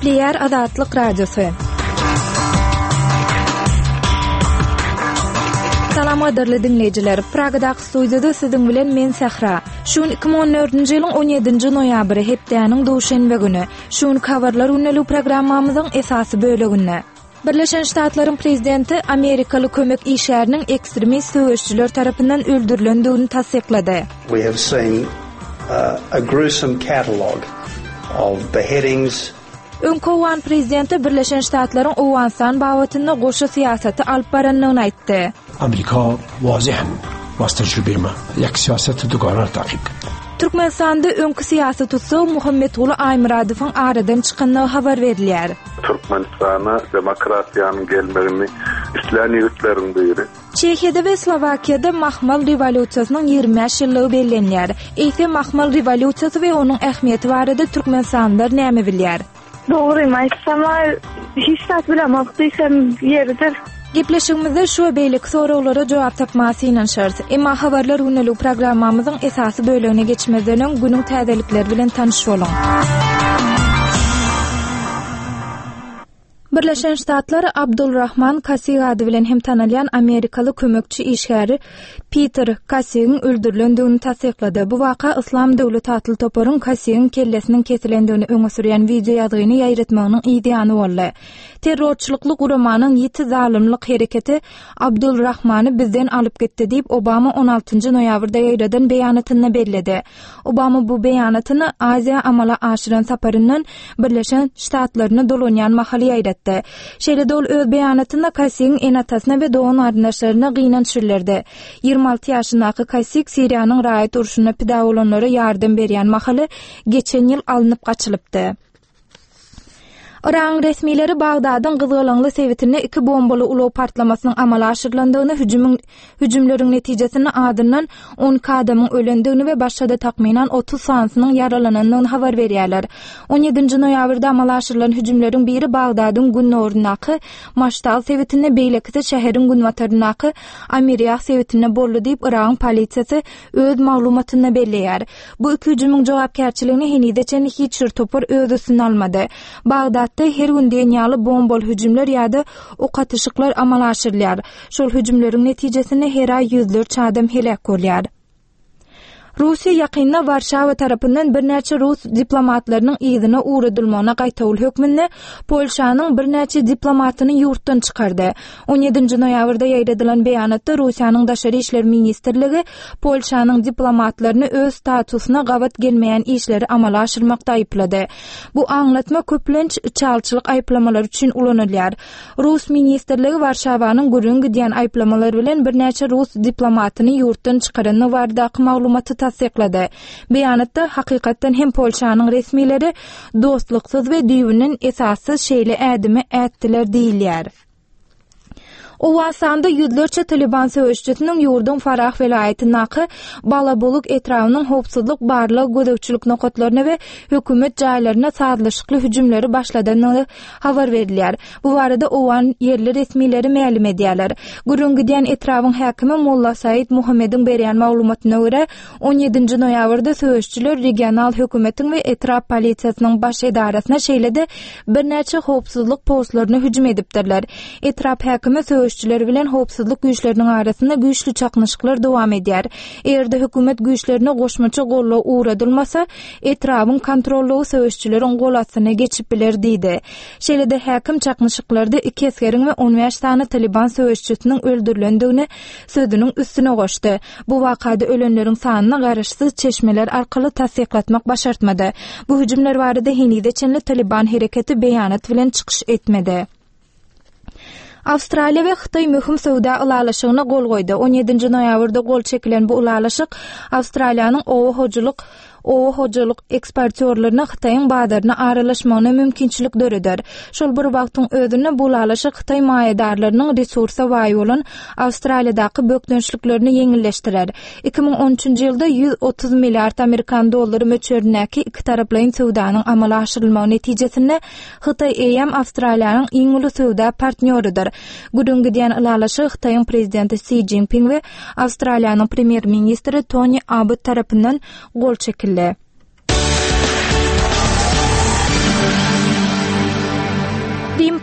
Gepleýär Azatlyk Radiosy. Salam gadyrly diňleýjiler. Pragadaky studiýada siziň bilen men Sähra. Şu gün 2014-nji ýylyň 17-nji noýabry, hepdäniň duşenbe güni. Şu günki habarlar gündelik programmamyzyň esasy böleginde. Birleşen Ştatlaryň prezidenti amerikaly kömek işgäriniň ekstremist söweşijiler tarapyndan öldürilendigini tassyklady. We have seen a gruesome catalogue of beheadings, Öňki owgan prezidenti Birleşen Ştatlaryň Owganystan babatynda goşa syýasaty alyp barandygyny aýtdy. Amerika wazehan was tejrübe ma ýek siýaseti dugara takip kerd. Türkmenistanda öňki syýasy tussag Muhammetguly Aýmyradowyň aradan çykandygy habar berilýär. Türkmenistana demokratiýanyň gelmegini islän ýigitleriň biri. Çehiýada we Slowakiýada Mahmal rewolýusiýasynyň 25 ýyllygy bellenýär. Eýse Mahmal rewolýusiýasy we onuň ähmiýeti barada türkmenistanlylar näme bilýär? Dogrymy aýtsam-a, hiç zat bilemok diýsem ýeridir. Gepleşigimizde şu we beýleki soraglara jogap tapmaga synanyşarys. Emma Habarlar gündelik programmamyzyň esasy bölegine geçmezden öň günüň täzelikleri bilen tanyş boluň. Birleşen Ştatlar Abdul Rahman Kasig ady bilen hem tanalýan amerikaly kömekçi işgäri Piter Kasigiň öldürilendigini tassyklady. Bu waka Yslam döwleti atly toparyň Kasigiň kellesiniň kesilendigini öňe sürýän wideoýazgyny ýaýratmagynyň yz ýany boldy. Terrorçylykly guramanyň ýiti zalymlyk hereketi Abdul Rahmany bizden alyp gitdi diýip, Obama on altynjy noýabrda ýaýradan beýanatynda belledi. Obama bu beýanatyny Aziýa amala aşyran saparyndan Birleşen Ştatlaryna dolanýan mahaly ýaýratdy. Şeýle-de ol öz beýanatynda Kasigiň ene-atasyna we dogan-garyndaşlaryna gynanç bildirdi. 26 ýaşyndaky Kasig Siriýanyň raýat urşunda pida bolanlara ýardam berýän mahaly geçen ýyl alnyp gaçylypdy. Yragyň resmileri Bagdadyň gyzgalaňly sebitinde iki bombaly ulag partlamasynyň amala aşyrylandygyny, hüjümiň hüjümleriň netijesinde azyndan 12 adamyň ölendigini we başga-da takmynan 30 sanysynyň ýaralanandygyny habar berýärler. 17-nji noýabrda amala aşyrylan hüjümleriň biri Bagdadyň gündogaryndaky Maştal sebitinde, beýlekisi şäheriň günbataryndaky Amirýah sebitinde boldy diýip, Yragyň polisiýasy öz maglumatynda belleýär. Bu iki hüjümiň jogapkärçiligini henize çenli hiç bir topar öz üstüne almady. Bagdatda her gün diýen ýaly bombaly hüjümler ýa-da ok atyşyklar amala aşyrylýar. Şol hüjümleriň netijesinde her aý ýüzlerçe adam heläk bolýar. Russiýa ýakynda Warşawa tarapyndan birnäçe rus diplomatlarynyň yzyna ugradylmagyna gaýtawul hökmünde Polşanyň birnäçe diplomatyny ýurtdan çykardy. On ýedinji noýabrda ýaýradylan beýanatda Russiýanyň Daşary işler ministrligi Polşanyň diplomatlaryny öz statusyna gabat gelmeýän işleri amala aşyrmakda aýyplady. Bu aňlatma köplenç içalyçylyk aýyplamalary üçin ulanylýar. Rus ministrligi Warşawanyň gürrüňi gidýän aýyplamalar bilen birnäçe rus diplomatyny ýurtdan çykarandygy baradaky maglumaty tassyklady. Beýanatda, hakykatdan hem Polşanyň resmileri dostluksyz we düýbünden esassyz şeýle ädimi ätdiler diýilýär. Owganystanda ýüzlerçe Talyban söweşijisiniň ýurduň Farah welaýatyndaky Balabuluk etrabynyň howpsuzlyk barlag gözegçilik nokatlaryna we hökümet jaýlaryna sazlaşykly hüjümleri başladandygy habar berilýär. Bu barada owgan ýerli resmileri mälim edýärler. Gürrüň gidýän etrabyň häkimi Molla Said Muhammediň berýän maglumatyna görä, On ýedinji noýabrda söweşijiler regional hökümetiň we etrap polisiýasynyň baş edarasyna, şeýle-de birnäçe howpsuzlyk postlaryna hüjüm edipdirler. Etrap häkimi söweşijiler bilen howpsuzlyk güýçleriniň arasynda güýçli çaknyşyklar dowam edýär. Eger-de hökümet güýçlerine goşmaça goldaw ugradylmasa, etrabyň kontrollygy söweşijileriň gol astyna geçip biler diýdi. Şeýle-de häkim çaknyşyklarda iki esgeriň we on bäş sany Talyban söweşijisiniň öldürilendigini sözüniň üstüne goşdy. Bu wakada ölenleriň sanyny garaşsyz çeşmeler arkaly tassyklatmak başartmady. Bu hüjümler barada henize çenli Talyban hereketi beýanat bilen çykyş etmedi. Awstraliýa we Hytaý möhüm söwda ylalaşygyna gol goýdy. On ýedinji noýabrda gol çekilen bu ylalaşyk Awstraliýanyň oba hojalyk oba hojalyk eksportýorlaryna Hytaýyň bazaryna aralaşmagyna mümkinçilik döreder. Şol bir wagtyň özünde bu ylalaşyk hytaý maýadarlarynyň resursa baý bolan Awstraliýadaky bökdençliklerini ýeňilleşdirer. 2013-nji ýylda 130 milliard amerikan dollary möçberindäki ikitaraplaýyn söwdanyň amala aşyrylmagy netijesinde Hytaý eýýäm Awstraliýanyň iň uly söwda partnýorydyr. Gürrüň gidýän ylalaşygy Hytaýyň prezidenti Si Jinping we Awstraliýanyň premýer-ministri Toni Abbott tarapyndan gol çekildi.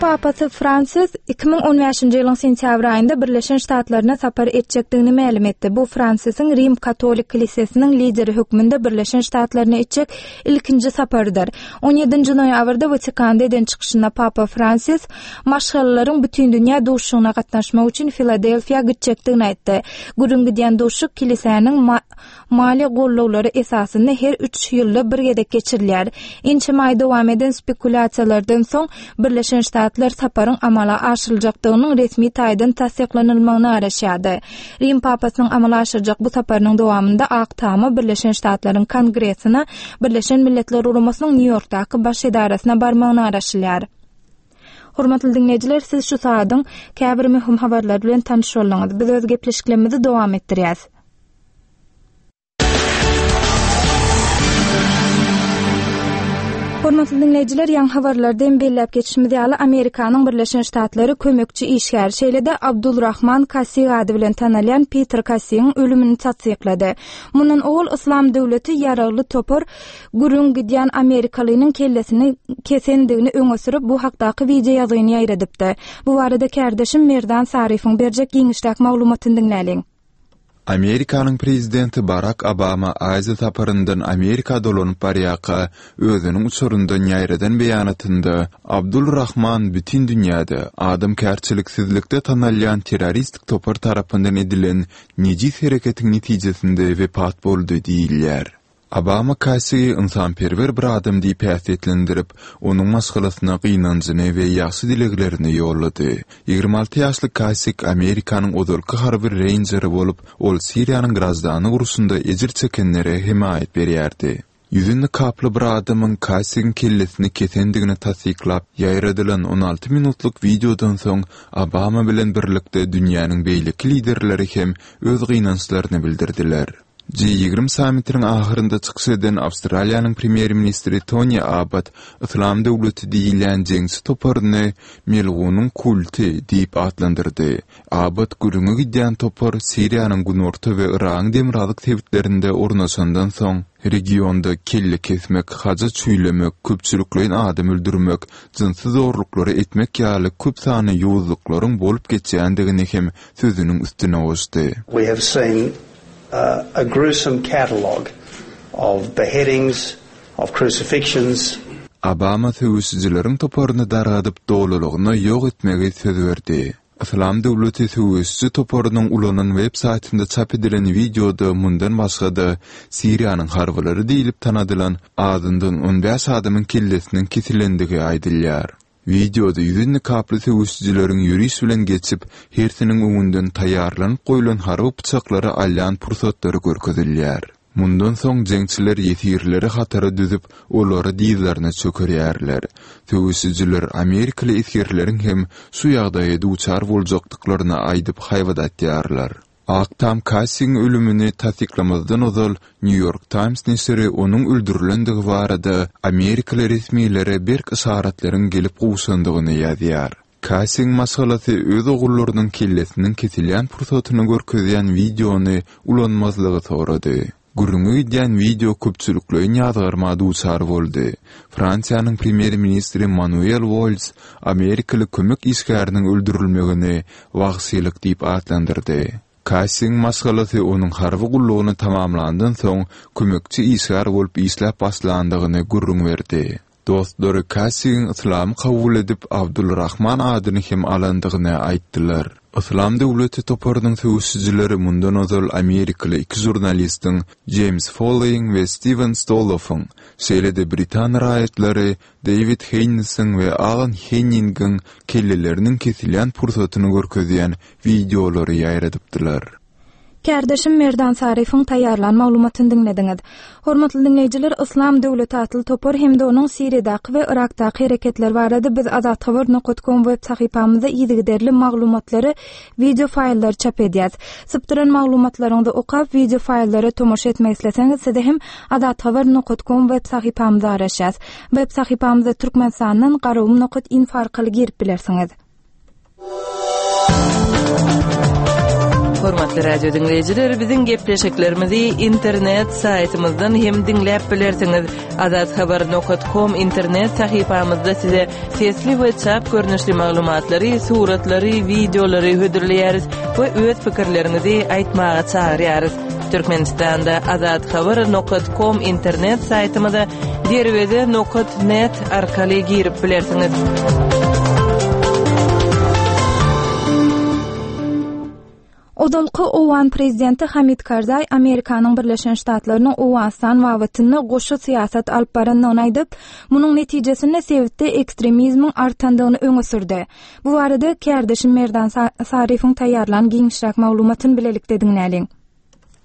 Papasy Fransis 2015-nji ýylyň sentýabr aýynda Birleşen Ştatlaryna sapar etjekdigini mälim etdi. Bu Fransisiň Rim katolik kilisesiniň lideri hökmünde Birleşen Ştatlaryna etjek ilkinji saparydyr. 17-nji noýabrda Watikanda eden çykyşynda Papa Fransis maşgalalaryň bütindünýä duşuşygyna gatnaşmak üçin Filadelfiýa gitjekdigini aýtdy. Gürrüň gidýän duşuşyk kilisäniň maliýe gollawlary esasynda her üç ýylda bir gezek geçirilýär. Ençeme aý dowam eden spekulýasiýalardan soň, Birleşen Ştatlar saparyň amala aşyryljakdygynyň resmi taýdan tassyklanylmagyna garaşýardy. Rim papasynyň amala aşyrjak bu saparynyň dowamynda Ak Tama Birleşen Ştatlaryň Kongresine, Birleşen Milletler Guramasynyň Nýu-Ýorkdaky baş edarasyna barmagyna garaşylýar. Hormatly diňleýjiler, siz şu sagadyň käbir möhüm habarlary bilen tanyş bolduňyz. Biz öz gepleşiklerimizi dowam etdirýäs. Hormatly diňleýjiler, ýaňy habarlarda hem belläp geçişimiz ýaly, Amerikanyň Birleşen Ştatlary kömekçi işgär, şeýle-de Abdulrahman Kasig ady bilen tanalýan Piter Kasigiň ölümini tassyklady. Mundan owal Yslam döwleti ýaragly topar gürrüň gidýän amerikalynyň kellesini kesendigini öňe sürüp, bu hakdaky wideoýazgyny ýaýradypdy. Bu barada kärdeşim Merdan Saryýewiň berjek giňişräk maglumatyny diňläliň. Amerikanyň prezidenti Barak Obama Aziýa saparyndan Amerika dolanyp barýarka, özüniň uçaryndan ýaýradan beýanatynda, Abdul Rahman bütin dünýäde adamkärçiliksizlikde tanalýan terroristik topar tarapyndan edilen nejis hereketiň netijesinde wepat boldy diýilýär. Obama Kassigi ynsanperwer bir adam diýip häsiýetlendirip, onuň maşgalasyna gynanjyny we ýagşy dileglerini ýollady. 26 ýaşly Kassig Amerikanyň ozalky harby reýnjeri bolup, ol Siriýanyň graždanlyk urşunda ejir çekenlere hemaýat berýärdi. Ýüzi nykaply bir adamyň Kassigiň kellesini kesendigini tassyklap ýaýradylan 16 minutlyk wideodan soň, Obama bilen birlikde dünýäniň beýleki liderleri hem öz gynançlaryny bildirdiler. Ji 20 sammitiniň ahyrynda çykyş eden Awstraliýanyň premýer-ministri Toni Abbott Yslam döwleti diýilýän jeňçi toparyny melgunyň kulty diýip atlandyrdy. Abbott gürrüňi gidýän topar Siriýanyň günorta we Yragyň demirgazyk sebitlerinde ornaşandan soň, regionda kelle kesmek, haja çüýlemek, köpçülikleýin adam öldürmek, jynsy zorluklary etmek ýaly köp sanly ýowuzlyklaryň bolup geçýändigini hem sözüniň üstüne goşdy. We have seen a gruesome catalogue of beheadings, of crucifixions. Obama söweşijileriň toparyny dargadyp, dolulygyna ýok etmegi söz berdi. Yslam döwleti söweşiji toparynyň ulanan web saýtynda çap edilen wideoda mundan başga-da, Siriýanyň harbylary diýlip tanadylan azyndan on bäş adamyň kellesiniň kesilendigi aýdylýar. Wideoda ýüzi nikaply söweşijileriň ýöriş bilen geçip, hersiniň öňünden taýýarlanyp goýlan harby pyçaklary alýan pursatlary görkezilýär. Mundan soň jeňçiler ýesirleri hatara düzüp, olary dyzlaryna çökerýärler. Söweşijiler amerikaly esgerleriň hem şu ýagdaýa duçar boljakdyklaryny aýdyp haýbat atýarlar. Ak Tam Kassigiň ölümini tassyklamazdan ozal, New York Times neşiri onuň öldürilendigi barada amerikaly resmilere berk yşaratlaryň gelip gowşandygyny ýazýar. Kassigiň maşgalasy öz ogullarynyň kellesiniň kesilýän pursatyny görkezýän wideony ulanmazlygy sorady. Gürrüňi gidýän wideo köpçülikleýin ýazgarma duçar boldy. Fransiýanyň premýer-ministri Manuel Walls amerikaly kömek işgäriniň öldürilmegini wagşylyk diýip atlandyrdy. Kassiň maşgalasy onuň harby gullugyny tamamlandan soň kömekçi işgär bolup işläp başlandygyny gürrüň berdi. Dostlary Kassigiň yslamy kabul edip, Abdulrahman adyny hem alandygyny aýtdylar. Yslam döwleti toparynyň söweşijileri mundan ozal amerikaly iki žurnalistiň, Jeýms Foleýiň we Stiwen Stoloffyň, şeýle-de britan raýatlary Deýwid Heýnisiň we Alan Henningiň kelleleriniň kesilýän pursatyny görkezýän wideolary ýaýradypdylar. Kärdeşim Merdan Saryýewiň taýýarlan maglumatyny diňlediňiz. Hormatly diňleýjiler, Yslam döwleti atly topar hem-de onuň Siriýadaky we Yrakdaky hereketleri barada biz Azathabar nokat kom web sahypamyzda yzygiderli maglumatlary, wideo faýllary çap edýäs. Sypdyran maglumatlaryňyzy okap, wideo faýllara tomaşa etmek isleseňiz, size hem Azathabar nokat kom web sahypamyzda garaşýas. Web sahypamyza Türkmenistandan Garagum nokat info arkaly girip bilersiňiz. Hormatly radio diňleýjiler, biziň gepleşiklerimizi internet saýtymyzdan hem diňläp bilersiňiz. Azathabar.com internet sahypamyzda size sesli we çap görnüşli maglumatlary, suratlary, wideolary hödürleýäris we öz pikirleriňizi aýtmaga çagyrýarys. Türkmenistanda azathabar.com internet saýtymyza derweze nokat net arkaly girip bilersiňiz. Ozalky owgan prezidenti Hamid Karzaý Amerikanyň Birleşen Ştatlarynyň Owganystan babatynda goşa syýasat alyp barandygyny aýdyp, munuň netijesinde sebitde ekstremizmiň artandygyny öňe sürdi. Bu barada kärdeşim Merdan Saryýewiň taýýarlan giňişräk maglumatyny bilelikde diňläliň.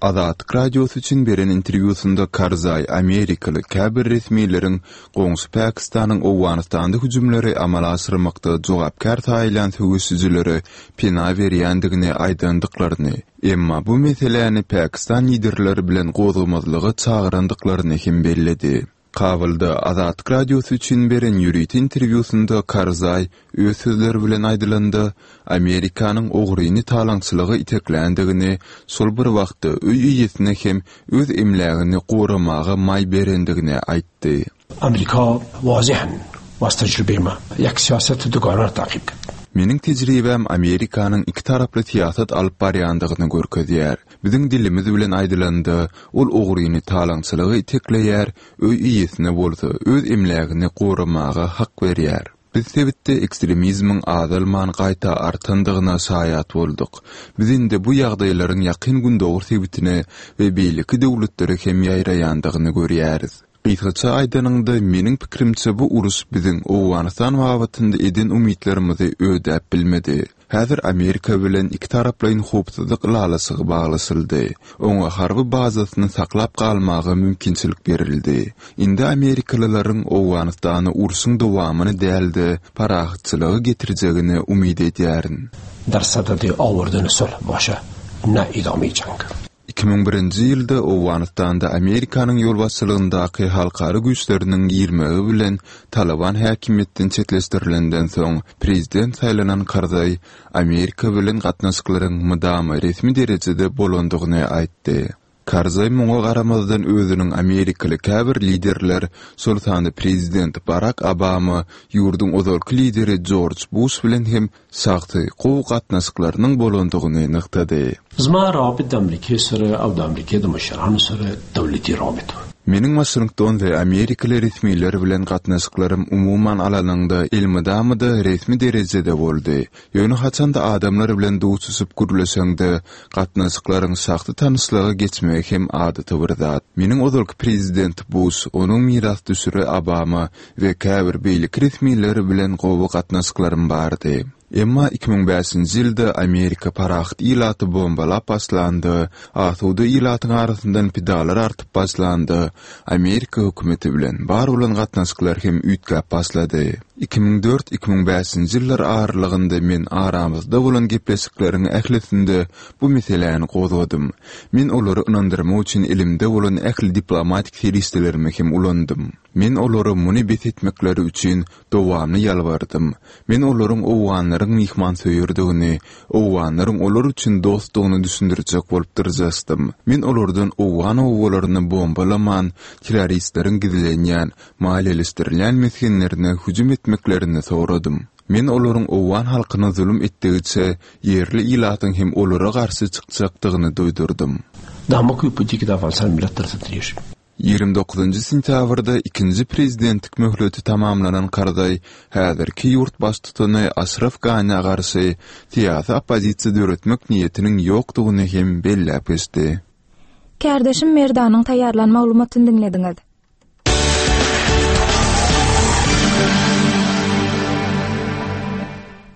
Azatlyk Radiosy üçin beren interwýusynda Karzaý amerikaly käbir resmileriň goňşy Pakistanyň Owganystanda hüjümleri amala aşyrmakda jogapkär saýylýan söweşijilere pena berýändigini aýdandyklaryny, emma bu meseläni pakistan liderleri bilen gozgamazlyga çagyrandyklaryny hem belledi. Kabulda Azatlyk Radiosy üçin beren ýörite interwýusynda Karzaý öz sözleri bilen aýdylanda, Amerikanyň ogryny talaňçylyga itekländigini, şol bir wagtda öý eýesine hem öz emlägini goramaga maý berendigini aýtdy. Amerika wazihan was tejribema ýek siýaseti duganar takip kerd. Meniň tejribäm Amerikanyň ikitaraply syýasat alyp barýandygyny görkezýär. Biziň dilimiz bilen aýdylanda, ol ogryny talaňçylyga itekleýär, öý eýesine bolsa öz emlägini goramaga hak berýär. Biz sebitde ekstremizmiň azalman gaýta artandygyna şaýat bolduk. Biz indi bu ýagdaýlaryň Ýakyn Gündogar sebitine we beýleki döwletlere hem ýaýraýandygyny görýäris. Gysgaça aýdanyňda, meniň pikirimçe bu uruş biziň Owganystan babatynda eden umytlarymyzy ödäp bilmedi. Häzir Amerika bilen ikitaraplaýyn howpsuzlyk ylalaşygy baglaşyldy. Oňa harby bazasyny saklap galmaga mümkinçilik berildi. Indi amerikalylaryň Owganystana urşuň dowamyny däl-de, parahatçylygy getirjegine umyt edýärin. Dar sadadi awardeni sulh başe ne idame jang. 2001-nji ýylda Owganystanda Amerikanyň ýolbaşçylygyndaky halkara güýçleriniň girmegi bilen Talyban häkimiýetden çetleşdirilenden soň, prezident saýlanan Karzaý Amerika bilen gatnaşyklaryň mydama resmi derejede bolandygyny aýtdy. Karzaý muňa garamazdan özüniň amerikaly käbir liderler, şol sanda prezident Barak Obama, ýurduň ozalky lideri Jorj Buş bilen hem şahsy gowy gatnaşyklarynyň bolandygyny nygtady. Zma rawabit د امریکې سره او د امریکې د مشرانو سره دولتي روابط وه. Meniň Waşington we amerikaly resmiler bilen gatnaşyklarym umuman alanyňda elmydama-da resmi derejede boldy. Ýöne haçanda adamlar bilen duşuşyp gürleşeňde, gatnaşyklaryň şahsy tanyşlyga geçmegi hem adaty bir zat. Meniň ozalky prezident Buş, onuň mirasdüşeri Obama we käbir beýleki resmiler bilen gowy gatnaşyklarym bardy. Emma 2005-nji ýylda Amerika parahat ilaty bombalap başlanda, asuda ilatyň arasyndan pidalar artyp başlanda, Amerika hökümeti bilen bar bolan gatnaşyklar hem üýtgäp başlady. 2004, 2005-nji ýyllar aralygynda men aramyzda bolan gepleşikleriň ählisinde bu meseläni gozgadym. Men olary ynandyrmak üçin elimde bolan ähli diplomatik serişdelerimi hem ulandym. Men olara muny bes etmekleri üçin dowamly ýalbardym. Men olaryň owganlaryň myhmansöýerdigini, owganlaryň olar üçin dostdugyny düşündirjek bolup dyrjaşdym. Men olardan owgan obalaryny bombalaman, terroristleriň gizlenýän, maliýeleşdirilýän mesgenlerine hüjüm etmeklerini soradym. Men olaryň owgan halkyna zulum etdigiçe, ýerli ilatyň hem olara garşy çykjakdygyny duýdurdym. 29 sentýabrda ikinji prezidentlik möhleti tamamlanan Karzaý häzirki ýurt baştutany Aşraf Ganä garşy syýasy oppozisiýa döretmek niýetiniň ýokdugyny hem belläp geçdi. Kärdeşim Merdanyň taýýarlan maglumatyny diňlediňiz.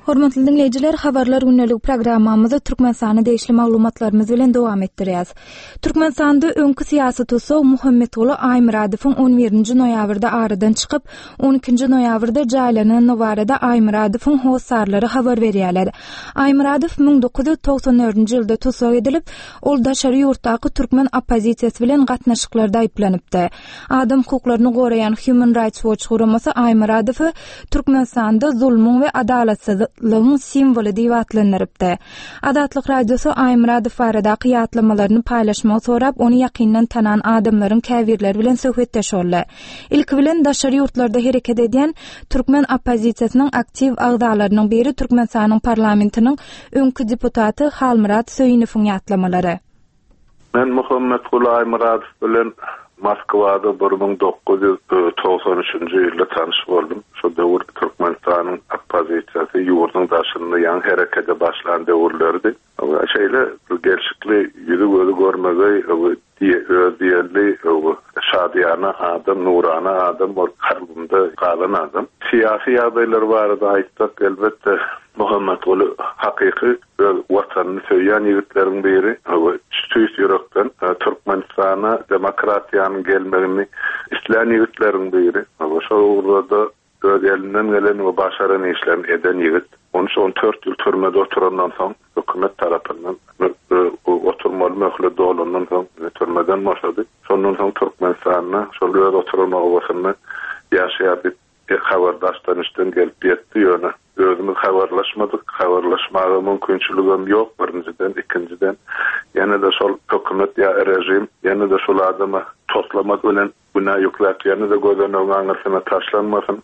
Hormatly diňleýjiler, Habarlar gündeligi programmamyzy Türkmenistana degişli maglumatlarymyz bilen dowam etdirýäs. Türkmenistanda öňki syýasy tussag Muhammetguly Aýmyradowyň on birinji noýabrda aradan çykyp, on ikinji noýabrda jaýlanandygy barada Aýmyradowyň hossarlary habar berýärler. Aýmyradow 1994-nji ýylda tussag edilip, ol daşary ýurtdaky türkmen oppozisiýasy bilen gatnaşyklarda aýyplanypdy. Adam hukuklaryny goraýan Human Rights Watch guramasy Aýmyradowy Türkmenistanda zulmuň we adalatsyzlygyň. azatlygyň simwoly diýip atlandyrypdy. Azatlyk Radiosy Aýmyradow baradaky ýatlamalaryny paýlaşmagy sorap, ony ýakyndan tanan adamlaryň käbirleri bilen söhbetdeş boldy. Ilki bilen daşary ýurtlarda hereket edýän türkmen oppozisiýasynyň aktiw agzalarynyň biri Türkmenistanyň parlamentiniň öňki deputaty Halmyrat Söýünowyň ýatlamalary. Men Muhammetguly Aýmyradow bilen Moskwada 1993-nji ýylda tanyş boldum. Şo döwür Türkmenistanyň oppozisiýasy ýurduň daşynda ýaňy herekede başlan döwürleridi. Şeýle gelşikli, ýüzi-gözi görmegeý, öz diýenli, şadyýana adam, nurana adam bolup kalbymda galan adam. Syýasy ýagdaýlar barada aýtsak, elbetde, Muhammetguly hakyky öz Watanyny söýýän ýigitleriň biri we tüýs ýürekden Türkmenistana demokratiýanyň gelmegini islän ýigitleriň biri we şol ugurda-da öz elinden gelen we başaran işlerini eden ýigit. On üç-on dört ýyl türmede oturandan soň, hökümet tarapyndan oturmaly möhlet dolandan soň türmeden boşady. Şondan soň Türkmenistanda şol öz oturan obasynda ýaşaýar diýip Bir habar daşdan-içden gelip ýetdi, ýöne özümiz habarlaşmadyk, habarlaşmaga mümkinçiligem ýok, birinjiden, ikinjiden, ýene-de şol hökümet ýa režim ýene-de şul adama toslama bilen günä ýükläp, ýene-de gözenegiň aňyrsyna taşlanmasyn,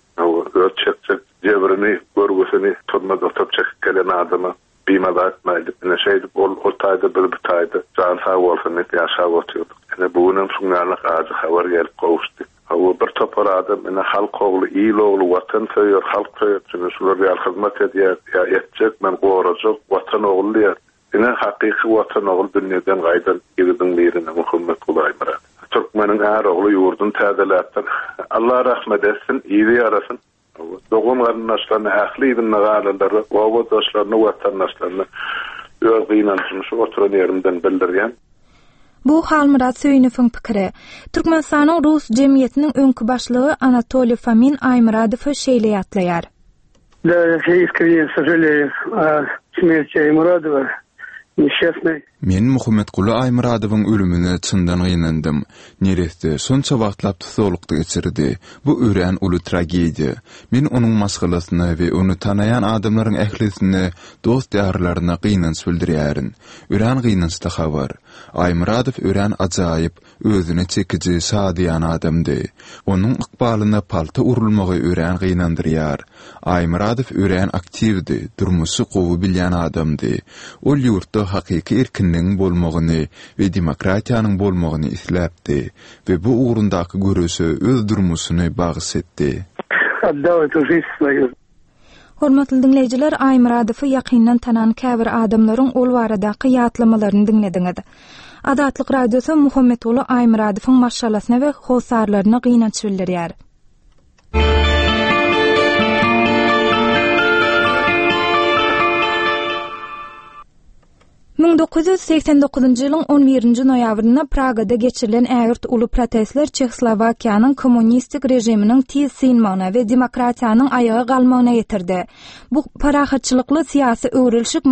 öz çekjek jebrini, görgüsini türmede oturyp çekip gelen adama Bimaza etmäýdik. Ine, şeýdip, ol o taýda, biz bu taýda jany sag bolsun diýip ýaşap otyrdyk. Ine, bu günem şuň ýaly ajy habar gelip gowuşdy. Hawa, bir topar adam, ine, halk ogly, il ogly, watan söýer, halk söýer, ine, şular ýaly hyzmat edýär, ýa etjek, men gorajak, watan ogly diýýär. Ine, hakyky watan ogly dünýeden gaýdan ýigidiň biri, ine, Muhammetguly Aýmyrat. Türkmeniň är ogly ýurduny täzeläpdir. Allah rahmet etsin, yzy ýarasyn. Dogan-garyndaşlaryna, ähli yzynda galanlara, obadaşlaryna, watandaşlaryna öz gynanjymy şu oturan ýerimden bildirýän. Bu Halmyrat Söýünowyň pikiri. Türkmenistanyň Rus jemgyýetiniň öňki başlygy Anatoliý Fomin Aýmyradowy şeýle ýatlaýar. Da, ýa iskrenýe sožaleýu o smerti Aýmyradowa. Neşçastnyý. Men Muhammetguly Aýmyradowyň ölümine çyndan gynandym. Neresse şonça wagtlap tussaglykda geçirdi. Bu örän uly tragediýa. Men onuň maşgalasyna we ony tanaýan adamlaryň ählisine, dost-ýarlaryna gynanç bildirýärin. Örän gynançly habar. Aýmyradow örän ajaýyp, özüne çekiji, şadyýan adamdy. Onuň ykbalyna palta urulmagy örän gynandyrýar. Aýmyradow örän aktiwdi, durmuşy gowy bilýän adamdy. Ol ýurtda hakyky erkinligiň bolmagyny we demokratiýanyň bolmagyny isläpdi we bu ugrundaky göreşe öz durmuşyny bagyş etdi. Otdal etu žizn svoýu. Hormatly diňleýjiler, Aýmyradowy ýakyndan tanan käbir adamlaryň ol baradaky ýatlamalaryny diňlediňiz. Azatlyk Radiosy Muhammetguly Aýmyradowyň maşgalasyna we hossarlaryna gynanç bildirýär. 1989-njy ýylyň on birinji noýabrynda Pragada geçirilen ägirt uly protestler Çehoslowakiýanyň kommunistik režiminiň tiz synmagyna we demokratiýanyň aýaga galmagyna getirdi. Bu parahatçylykly syýasy öwrülişik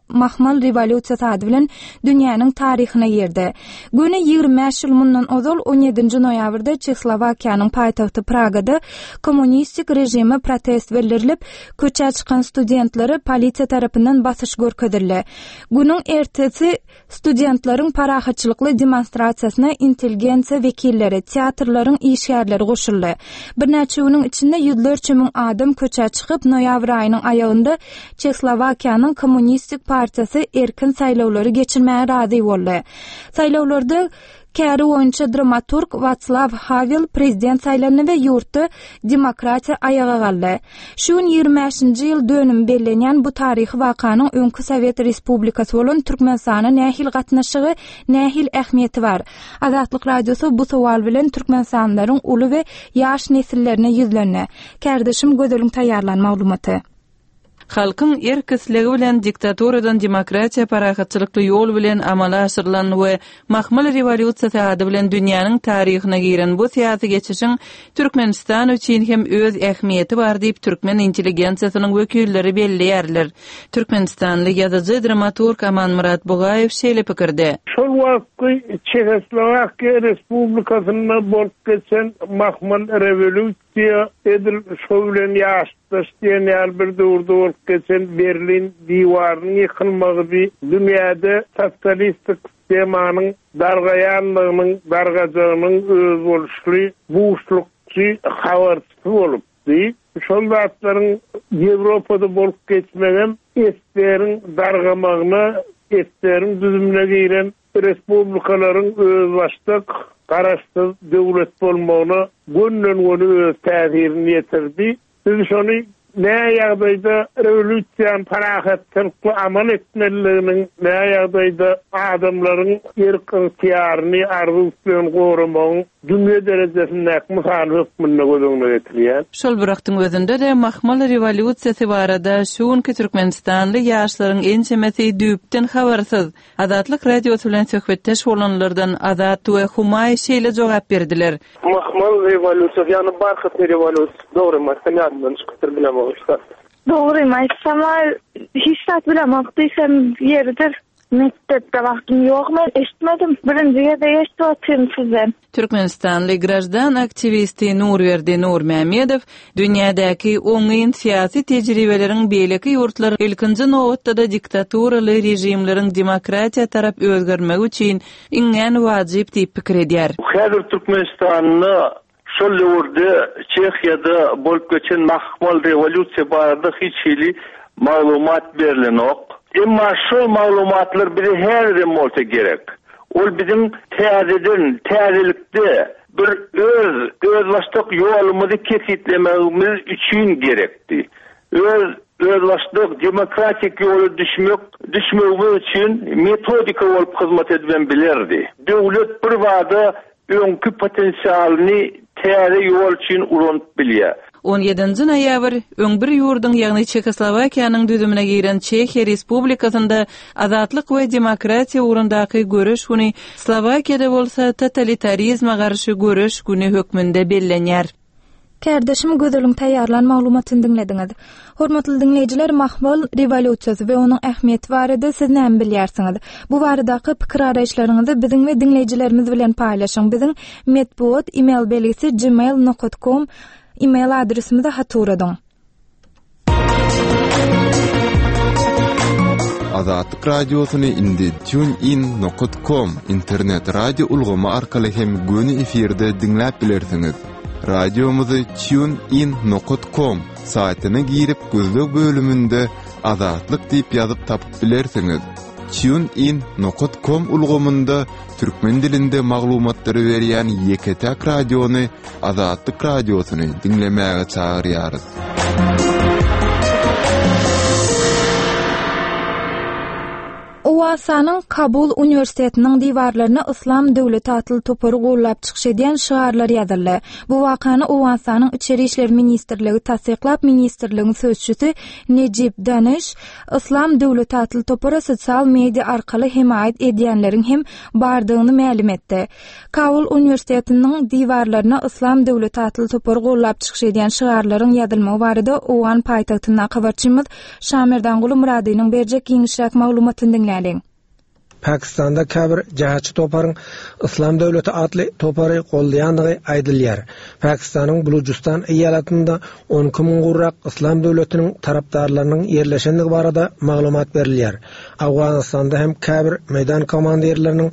Mahmal rewolýusiýasy ady bilen dünýäniň taryhyna girdi. Göni 25 ýyl mundan ozal on ýedinji noýabrda Çehoslowakiýanyň paýtagty Pragada kommunistik režime protest bildirilip, Köçä çykan studentlere polisiýa tarapyndan basyş görkezildi. Günüň ertesi studentleriň parahatçylykly demonstrasiýasyna intelligensiýa wekilleri, teatrlaryň işgärleri goşuldy. Birnäçe günüň içinde ýüzlerçe müň adam köçä çykyp, noýabr aýynyň aýagynda Çehoslowakiýanyň Kommunistik partiýasy erkin saýlawlary geçirmäge razy boldy. Saýlawlarda Käri boýunça dramaturg Watslaw Hawel prezident saýlandy we ýurtda demokratiýa aýaga galdy. Şu gün 25-nji ýyl dönümi bellenýän bu taryhy wakanyň öňki sowet respublikasy bolan Türkmenistana nähili gatnaşygy, nähili ähmiýeti bar? Azatlyk Radiosy bu sowal bilen türkmenistanlylaryň uly we ýaş nesillerine ýüzlendi. Kärdeşim Gözeliň taýýarlan maglumaty. Halkyň erk-islegi bilen diktaturadan demokratiýa parahatçylykly ýol bilen amala aşyrylan we Mahmal rewolýusiýasy ady bilen dünýäniň taryhyna giren bu syýasy geçişiň Türkmenistan üçin hem öz ähmiýeti bar diýip türkmen intelligensiýasynyň wekilleri belleýärler. Türkmenistanly ýazyjy, dramaturg Amanmyrat Bugaýew şeýle pikirde. Şol wagtky Çehoslowakiýa Respublikasynda bolup geçen Mahmal rewolýusiýasy. Rewolýusiýa edil şo bilen ýaşdaş diýen ýaly bir döwürde bolup geçen Berlin diwarynyň ýykylmagydy. Dünýäde sosialistik sistemanyň dargaýanlygynyň, dargajagynyň özboluşly buşlukçy habarçysy bolupdy. Şol zatlaryň Ýewropada bolup geçmegem SSR-iň dargamagyna, SSR-iň düzümine giren respublikalaryň özbaşdak, garaşsyz döwlet bolmagyna gönden-göni öz täsirini ýetirdi. Biz şony nä ýagdaýda rewolýusiýany parahatçylykly amal etmelidiginiň, nä ýagdaýda adamlaryň erk-ygtyýaryny, arzuw-islegini goramagyň dünýä derejesindäki mysaly hökmünde göz öňüne getirýär. Şol bir wagtyň özünde-de mahmal rewolýusiýasy barada şu günki türkmenistanly ýaşlaryň ençemesi düýpden habarsyz. Azatlyk Radiosy bilen söhbetdeş bolanlardan Azat we Humaý şeýle jogap berdiler. Mahmal rewolýusiýasy, ýagny barhatny rewolýusiýasy, dogrymy aýtsam ýadymdan çykypdyr, bilemok hiç zat. Dogrymy aýtsam-a hiç zat bilemok diýsem ýeridir. Mekdepde wagtym ýok men eşitmedim. Birinji gezek eşidip otyryn sizden. Türkmenistanly graždan aktiwisti Nurberdi Nurmämmedow dünýädäki oňyn syýasy tejribeleriň beýleki ýurtlar, ilkinji nobatda-da diktaturaly režimleriň demokratiýa tarap özgermegi üçin iňňän wajyp diýip pikir edýär. Häzir Türkmenistanda Şol döwürde Çehiýada bolup geçen mahmal rewolýusiýa barada hiç hili maglumat berlenok. Emma şol maglumatlar bize häzirem bolsa gerek. Ol biziň täzeden, täzelikde bir öz özbaşdak ýolumyzy kesgitlemegimiz üçin gerekdi. Öz özbaşdak demokratik ýola düşmek, düşmegimiz üçin metodika bolup hyzmat edibem bilerdi. Döwlet birbada öňki potensialyny täze ýol üçin ulanyp bilýär. On ýedinji noýabr, öň bir ýurduň, ýagny Çehoslowakiýanyň düzümine giren Çehiýa Respublikasynda azatlyk we demokratiýa ugrundaky göreş güni, Slowakiýada bolsa totalitarizme garşy göreş güni hökmünde bellenýär. Kärdeşim Gözeliň taýýarlan maglumatyny diňlediňiz. Hormatly diňleýjiler, Mahmal rewolýusiýasy we onuň ähmiýeti barada siz näme bilýärsiňiz? Bu baradaky pikir-garaýyşlaryňyzy biziň we diňleýjilerimiz bilen paýlaşyň. Biziň metbugat email belgisi gmail nokat kom email adresimize hat ugradyň. Azatlyk Radiosyny indi TuneIn nokat kom internet radio ulgamy arkaly hem göni efirde diňläp bilersiňiz. Radiomyzy TuneIn nokat kom saýtyna girip gözleg bölüminde Azatlyk diýip ýazyp tapyp bilersiňiz. TuneIn nokat kom ulgamynda türkmen dilinde maglumatlary berýän ýeke-täk radiony Azatlyk Radiosyny diňlemäge çagyrýarys. Owganystanyň Kabul uniwersitetiniň diwarlaryna Yslam döwleti atly topary gollap çykyş edýän şygarlar ýazyldy. Bu wakany Owganystanyň Içeri işler ministrligi tassyklap, ministrligiň sözçüsi Nejip Danyş Yslam döwleti atly topara sosial media arkaly hemaýat edýänleriň hem bardygyny mälim etdi. Kabul uniwersitetiniň diwarlaryna Yslam döwleti atly topary gollap çykyş edýän şygarlaryň ýazylmagy barada owgan paýtagtyndaky habarçymyz Şamerdanguly Myradynyň berjek giňişräk maglumatyny diňläliň. Pakistanda käbir jähatçy toparyň Yslam döwleti atly topary goldaýandygy aýdylýar. Pakistanyň Bulujystan eýalatynda 12 müň gowrak Yslam döwletiniň tarapdarlarynyň ýerleşendigi barada maglumat berilýär. Owganystanda hem käbir meýdan komandirleriniň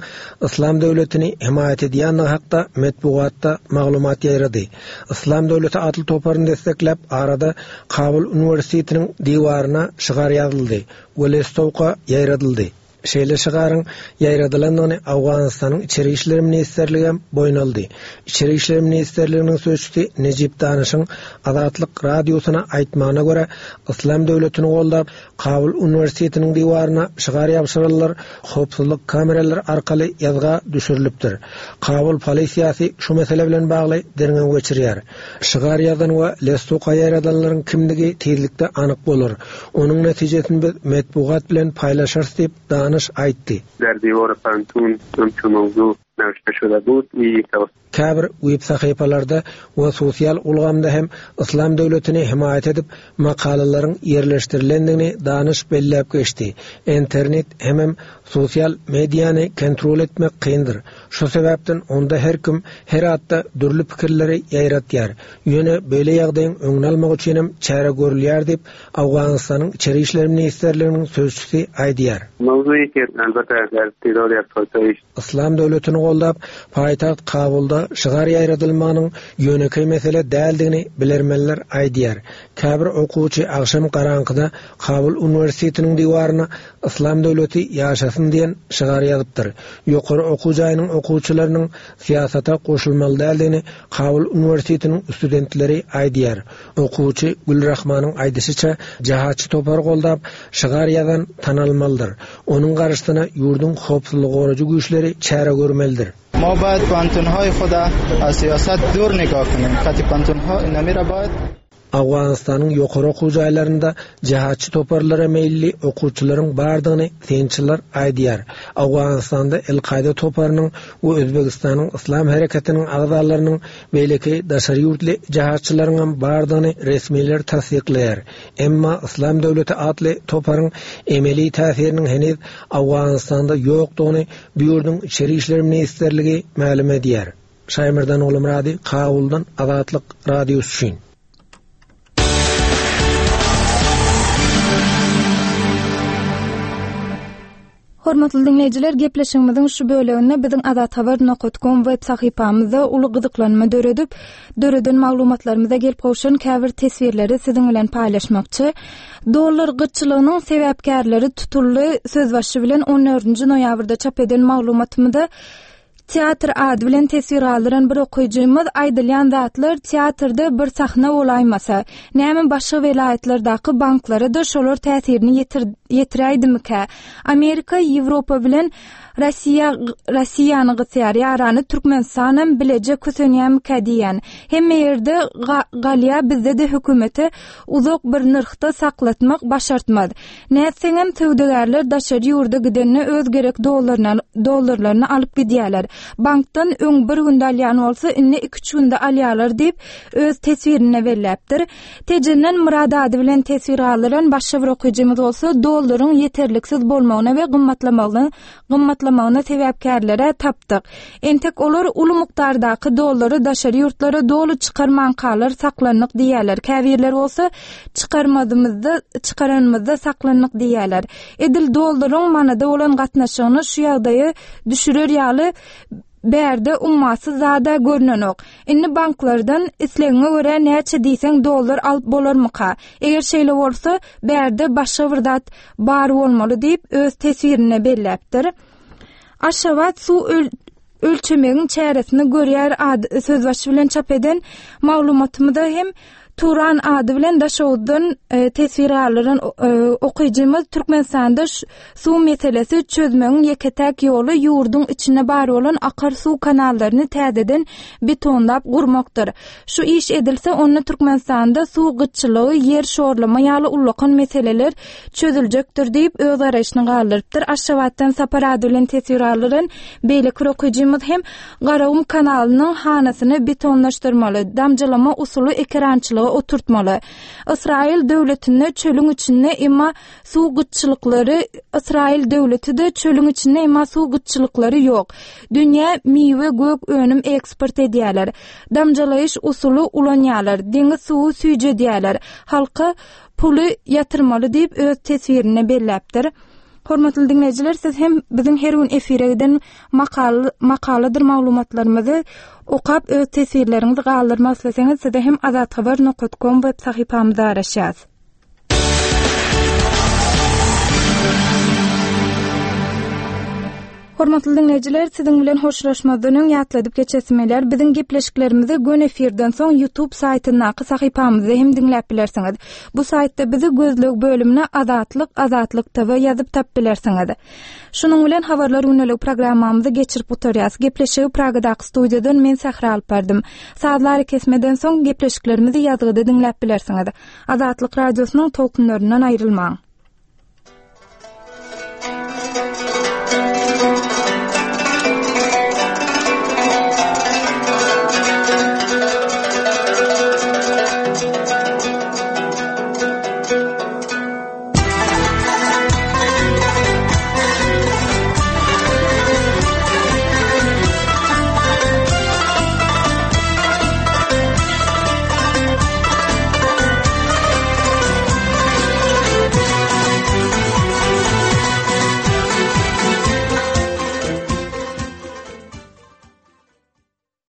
Yslam döwletini hemaýat edýändigi hakda metbugatda maglumat ýaýrady. Yslam döwleti atly toparyny dessekläp, arada Kabul uniwersitetiniň diwaryna şygar ýazyldy we listowka ýaýradyldy. Şeýle şygaryň ýaýradylandygyny Owganystanyň Içeri işler ministrligi hem boýun aldy. Içeri işler ministrliginiň sözçüsi Nejip Danyşyň Azatlyk Radiosyna aýtmagyna görä, Yslam döwletini goldap, Kabul uniwersitetiniň diwaryna şygar ýabşyranlar howpsuzlyk kameralary arkaly ýazga düşürilipdir. Kabul polisiýasy şu mesele bilen bagly derňew geçirýär. Şygar ýazan we listowka ýaýradanlaryň kimdigi tizlikde anyk bolar. Onuň netijesini biz metbugat bilen paýlaşarys diýip, Danyş aýtdy. در دیوار پنتون همچو موضوع. نوشته شده بود ای Käbir web sahypalarda we sosial ulgamda hem Yslam döwletini hemaýat edip makalalaryň ýerleşdirilendigini Danyş belläp geçdi. Internet hemem sosial mediany kontrol etmek kyndyr. Şu sebäpden onda her kim her atda dürli pikirleri ýaýratýar. Ýöne beýle ýagdaýyň öňüni almak üçinem çäre görülýär diýip, Owganystanyň Içeri işler ministrliginiň sözçüsi aýdýar. Yslam döwletini goldap, paýtagt Kabulda şygar ýaýradylmagynyň ýönekeý mesele däldigini bilermenler aýdýar. Käbir okuwçy agşam garaňkyda Kabul uniwersitetiniň diwaryna Yslam döwleti ýaşasyn diýen şygar ýazypdyr. Ýokary okuw jaýynyň okuwçylarynyň syýasata goşulmaly däldigini Kabul uniwersitetiniň studentleri aýdýar. Okuwçy Gülrahmanyň aýdyşyça, jahatçy topary goldap, şygar ýazan tanalmalydyr. Onuň garşysyna ýurduň howpsuzlygy goraýjy güýçleri çäre görmelidir. ما باید پوهنتونهای خود از سیاست دور نگاه کنیم خط پوهنتونها اینمی را باید Owganystanyň ýokary okuw jaýlarynda jihatçy toparlara meýilli okuwçylaryň bardygyny synçylar aýdýar. Owganystanda El-Kaýda toparynyň we Özbegistanyň Yslam hereketiniň agzalarynyň beýleki daşary ýurtly jihatçylaryňam bardygyny resmiler tassyklaýar. Emma Yslam döwleti atly toparyň emeli täsiriniň heniz Owganystanda ýokdugyny bu ýurduň Içeri işler ministrligi mälim edýär. Şaýmerdan Ogulmyrady, Kabuldan Azatlyk Radiosy üçin. Hormatly diňleýjiler, gepleşigimiziň şu böleginde biziň Azathabar nokat kom web sahypamyzda uly gyzyklanma döredip, döreden maglumatlarymyza gelip gowşan käbir teswirleri siziň bilen paýlaşmakçy. Dollar gytçylygynyň sebäpkärleri tutuldy sözbaşy bilen on dördünji noýabrda çap eden maglumatymyzda Teatr ady bilen teswir galdyran bir okyjymyz aýdylýan zatlar teatrda bir sahna bolaýmasa, näme başga welaýatlardaky banklara-da şolar täsirini ýetiräýdimikä? Amerika Ýewropa bilen Rossiýa Rossiýany gysýar, ýarany Türkmenistanam bileje kösenýämikä diýýän. Hemme ýerde galýa bizde-de hökümete uzak bir nyrhda saklatmak başartmaz. Nätseňem söwdagärler daşary ýurda gidende öz gerek dollarlaryny alyp gidýärler. Bankdan öň bir günde alýan bolsa, indi iküç günde alýarlar diýip, öz teswirinde belläpdir. Tejenden Myrat ady bilen teswir galdyran başga bir okyjymyz bolsa, dollaryň ýeterliksiz bolmagyna we gymmatlamagyna gymmatlamagyna sebäpkärler-ä tapdyk. Entek olar uly mukdardaky dollary daşary ýurtlara doly çykarmankalar saklandyk diýýärler, käbirleri bolsa çykarmazymyzda çykaranymyzda saklandyk diýýärler. Edil dollaryň manada bolan gatnaşygyny şu ýagdaýa düşürer ýaly bärde ummasyz zad-a görnenok. Indi banklardan islegiňe görä näçe diýseň dollar alyp bolarmyka? Eger şeýle bolsa, bärde başga bir zat bar bolmaly diýip, öz teswirinde belläpdir. Aşgabat suw ölçemegiň çäresini görýär ady sözbaşy bilen çap eden maglumatymyzda hem Turan ady bilen Daşoguzdan e, teswir galdyran e, okyjymyz Türkmenistanda suw meselesi çözmegiň ýeke-täk ýoly ýurduň içinde bar bolan akar suw kanallaryny täzeden betonlap gurmakdyr. Şu iş edilse, onda Türkmenistanda suw gytçylygy, ýer şorlama ýaly ullakan meseleler çözüljekdir diýip, öz garaýşyny galdyrypdyr. Aşgabatdan Sapar ady bilen teswir galdyran beýleki bir okyjymyz hem Garagum kanalynyň hanasyny betonlaşdyrmaly, damjalama usuly ekerançylyga oturtmaly. Ysraýyl döwletinde çölüň içinde emma suw gytçylyklary Ysraýyl döwleti-de çölüň içinde emma suw gytçylyklary ýok. Dünýä miwe gök önüm eksport edýärler. Damjalaýyş usuly ulanýarlar. Deňiz suwy süýjedýärler. Halka puly ýatyrmaly diýip öz teswirinde belläpdir. Hormatly diňleýjiler, siz hem biziň her gün efire giden makala, makaladyr maglumatlarymyzy okap öz teswirleriňizi galdyrmak isleseňiz, size hem azathabar nokat kom web sahypamyzda garaşýas. Hormatly diňleýjiler, siziň bilen hoşlaşmazdan öň ýatladyp geçesim gelýär, biziň gepleşiklerimizi göni efirden soň YouTube saýtyndaky sahypamyzda hem diňläp bilersiňiz. Bu saýtda bizi gözleg bölümine Azatlyk, Azatlyk TV ýazyp tapyp bilersiňiz. Şunuň bilen Habarlar gündelik programmamyzy geçirip gutarýas. Gepleşigi Pragadaky studiýadan men Sähra alyp bardym. Sazly arakesmeden soň gepleşiklerimizi ýazgyda diňläp bilersiňiz. Azatlyk Radiosynyň tolkunlaryndan aýrylmaň.